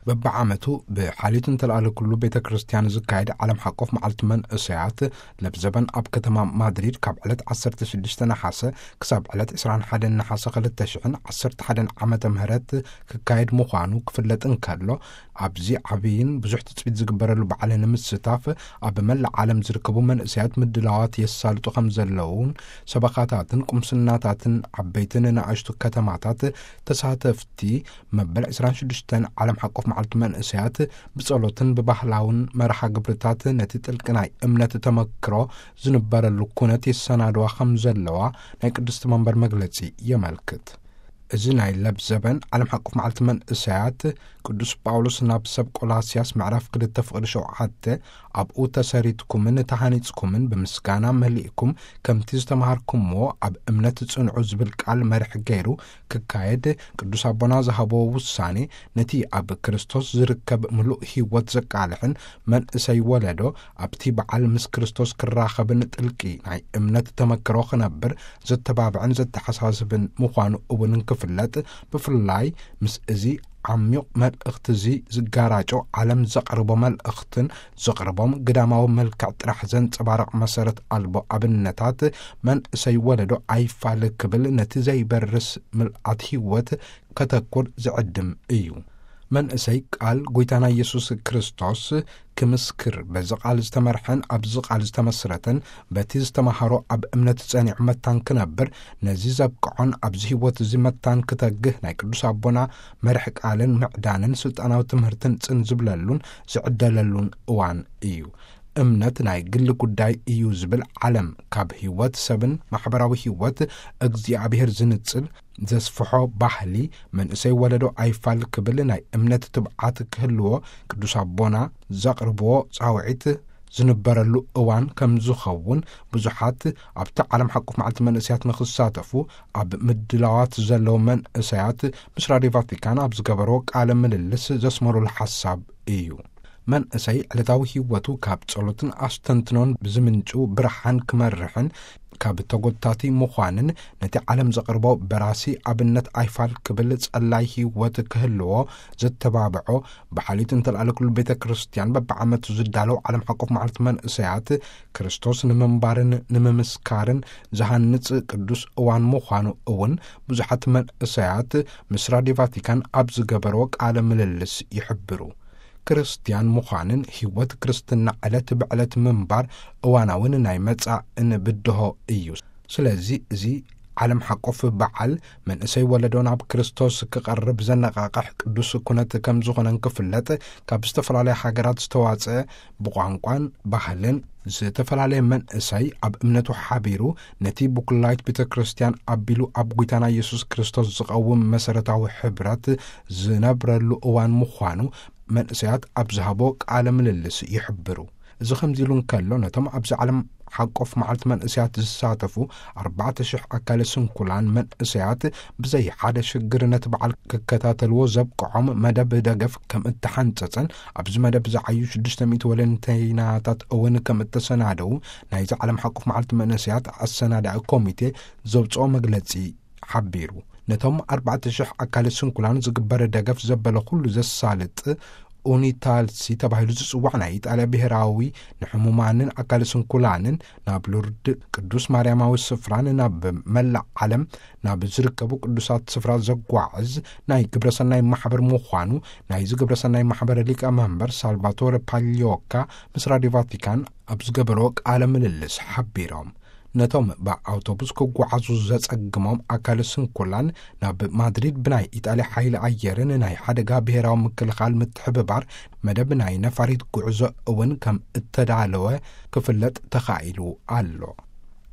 በብዓመቱ ብሓልዮት እንተለኣለ ኩሉ ቤተ ክርስቲያን ዝካየድ ዓለም ሓቆፍ መዓልቲ መንእሰያት ለብዘበን ኣብ ከተማ ማድሪድ ካብ ዕለት ዓሰርተ ሽዱሽተ ነሓሰ ክሳብ ዕለት ዕስራን ሓደን ነሓሰ ክልተ ሽሕን ዓሰርተ ሓደን ዓመተ ምህረት ክካየድ ምዃኑ ክፍለጥ እንከሎ፣ ኣብዚ ዓብይን ብዙሕ ትጽቢት ዝግበረሉ በዓል ንምስታፍ ኣብ መላእ ዓለም ዝርከቡ መንእሰያት ምድላዋት የሳልጡ ከም ዘለውን ሰበኻታትን ቁምስናታትን ዓበይትን ንኣሽቱ ከተማታት ተሳተፍቲ መበል ዕስራን ሽዱሽተን ዓለም ሓቆፍ መዓልቲ መንእሰያት ብጸሎትን ብባህላውን መርሃ ግብርታት ነቲ ጥልቂ ናይ እምነት ተመክሮ ዝንበረሉ ኩነት የሰናድዋ ከም ዘለዋ ናይ ቅድስቲ መንበር መግለጺ የመልክት። እዚ ናይ ለብዘበን ዓለም ሓቆፍ መዓልቲ መንእሰያት ቅዱስ ጳውሎስ ናብ ሰብ ቆላስያስ ምዕራፍ ክልተ ፍቕዲ ሸውዓተ፣ "ኣብኡ ተሰሪትኩምን ተሃኒጽኩምን ብምስጋና መሊእኩም ከምቲ ዝተማሃርኩምዎ ኣብ እምነት ጽንዑ" ዝብል ቃል መርሒ ገይሩ ክካየድ ቅዱስ ኣቦና ዝሃቦ ውሳኔ፣ ነቲ ኣብ ክርስቶስ ዝርከብ ምሉእ ህይወት ዘቃልሕን መንእሰይ ወለዶ ኣብቲ በዓል ምስ ክርስቶስ ክራኸብን ጥልቂ ናይ እምነት ተመክሮ ክነብር ዘተባብዕን ዘተሓሳስብን ምዃኑ እውን እንክፍለጥ፣ ብፍላይ ምስ እዚ ዓሚቕ መልእኽቲ እዚ ዝጋራጮ ዓለም ዘቕርቦ መልእኽትን ዘቕርቦም ግዳማዊ መልክዕ ጥራሕ ዘንጸባርቕ መሰረት ኣልቦ ኣብነታት መንእሰይ ወለዶ ኣይፋል ክብል ነቲ ዘይበርስ ምልኣት ህይወት ከተኩር ዝዕድም እዩ። መንእሰይ ቃል ጐይታና ኢየሱስ ክርስቶስ ክምስክር፣ በዚ ቃል ዝተመርሐን ኣብዚ ቃል ዝተመስረተን፣ በቲ ዝተማሃሮ ኣብ እምነት ጸኒዑ መታን ክነብር፣ ነዚ ዘብቅዖን ኣብዚ ህይወት እዚ መታን ክተግህ ናይ ቅዱስ ኣቦና መርሒ ቃልን ምዕዳንን ስልጣናዊ ትምህርትን ጽን ዝብለሉን ዝዕደለሉን እዋን እዩ። እምነት ናይ ግሊ ጉዳይ እዩ ዝብል ዓለም፣ ካብ ህይወት ሰብን ማሕበራዊ ህይወት እግዚኣብሔር ዝንጽል ዘስፍሖ ባህሊ፣ መንእሰይ ወለዶ ኣይፋል ክብል ናይ እምነት ትብዓት ክህልዎ ቅዱስ ኣቦና ዘቕርብዎ ጻውዒት ዝንበረሉ እዋን ከም ዝኸውን፣ ብዙሓት ኣብቲ ዓለም ሓቆፍ መዓልቲ መንእሰያት ንኽሳተፉ ኣብ ምድላዋት ዘለዉ መንእሰያት ምስ ራድዮ ቫቲካን ኣብ ዝገበርዎ ቃለ ምልልስ ዘስመሩሉ ሓሳብ እዩ። መንእሰይ ዕለታዊ ህይወቱ ካብ ጸሎትን ኣስተንትኖን ብዝምንጩ ብርሃን ክመርሕን፣ ካብ ተጎታቲ ምዃንን ነቲ ዓለም ዘቕርቦ በራሲ ኣብነት ኣይፋል ክብል ጸላይ ህይወት ክህልዎ ዘተባብዖ፣ ብሓልዮት እንተልኣለ ኩሉ ቤተ ክርስቲያን በብዓመቱ ዝዳለው ዓለም ሓቆፍ መዓልቲ መንእሰያት ክርስቶስ ንምንባርን ንምምስካርን ዝሃንጽ ቅዱስ እዋን ምዃኑ እውን ብዙሓት መንእሰያት ምስ ራድዮ ቫቲካን ኣብ ዝገበርዎ ቃለ ምልልስ ይሕብሩ። ክርስትያን ምዃንን ህይወት ክርስትና ዕለት ብዕለት ምንባር እዋናውን ናይ መጻእን ብድሆ እዩ። ስለዚ እዚ ዓለም ሓቆፍ በዓል መንእሰይ ወለዶ ናብ ክርስቶስ ክቐርብ ዘነቓቕሕ ቅዱስ ኩነት ከም ዝኾነ እንክፍለጥ፣ ካብ ዝተፈላለያ ሃገራት ዝተዋጽአ ብቋንቋን ባህልን ዝተፈላለየ መንእሰይ ኣብ እምነቱ ሓቢሩ ነቲ ብኩላይት ቤተ ክርስቲያን ኣቢሉ ኣብ ጐይታና ኢየሱስ ክርስቶስ ዝቐውም መሰረታዊ ሕብረት ዝነብረሉ እዋን ምዃኑ መንእሰያት ኣብ ዝሃቦ ቃለ ምልልስ ይሕብሩ። እዚ ከምዚ ኢሉ እንከሎ፣ ነቶም ኣብዚ ዓለም ሓቆፍ መዓልቲ መንእሰያት ዝሳተፉ ኣርባዕተ ሽሕ ኣካለ ስንኩላን መንእሰያት ብዘይ ሓደ ሽግር ነቲ በዓል ክከታተልዎ ዘብቅዖም መደብ ደገፍ ከም እተሓንጸጸን ኣብዚ መደብ ዝዓዩ ሽዱሽተ ሚእቲ ወለንተይናታት እውን ከም እተሰናደዉ ናይዚ ዓለም ሓቆፍ መዓልቲ መንእሰያት ኣሰናዳኢ ኮሚቴ ዘውጽኦ መግለጺ ሓቢሩ። ነቶም ኣርባዕተ ሽሕ ኣካለ ስንኩላን ዝግበር ደገፍ ዘበለ ኩሉ ዘሳልጥ ኡኒታልሲ ተባሂሉ ዝጽዋዕ ናይ ኢጣልያ ብሔራዊ ንሕሙማንን ኣካለ ስንኩላንን ናብ ሉርድ ቅዱስ ማርያማዊ ስፍራን ናብ መላእ ዓለም ናብ ዝርከቡ ቅዱሳት ስፍራ ዘጓዕዝ ናይ ግብረሰናይ ማሕበር ምዃኑ ናይዚ ግብረሰናይ ማሕበር ሊቀ መንበር ሳልቫቶረ ፓሊዮካ ምስ ራድዮ ቫቲካን ኣብ ዝገበርዎ ቃለ ምልልስ ሓቢሮም። ነቶም ብኣውቶቡስ ክጓዓዙ ዘጸግሞም ኣካለ ስንኩላን ናብ ማድሪድ ብናይ ኢጣልያ ሓይሊ ኣየርን ናይ ሓደጋ ብሔራዊ ምክልኻል ምትሕብባር መደብ ናይ ነፋሪት ጉዕዞ እውን ከም እተዳለወ ክፍለጥ ተኻኢሉ ኣሎ።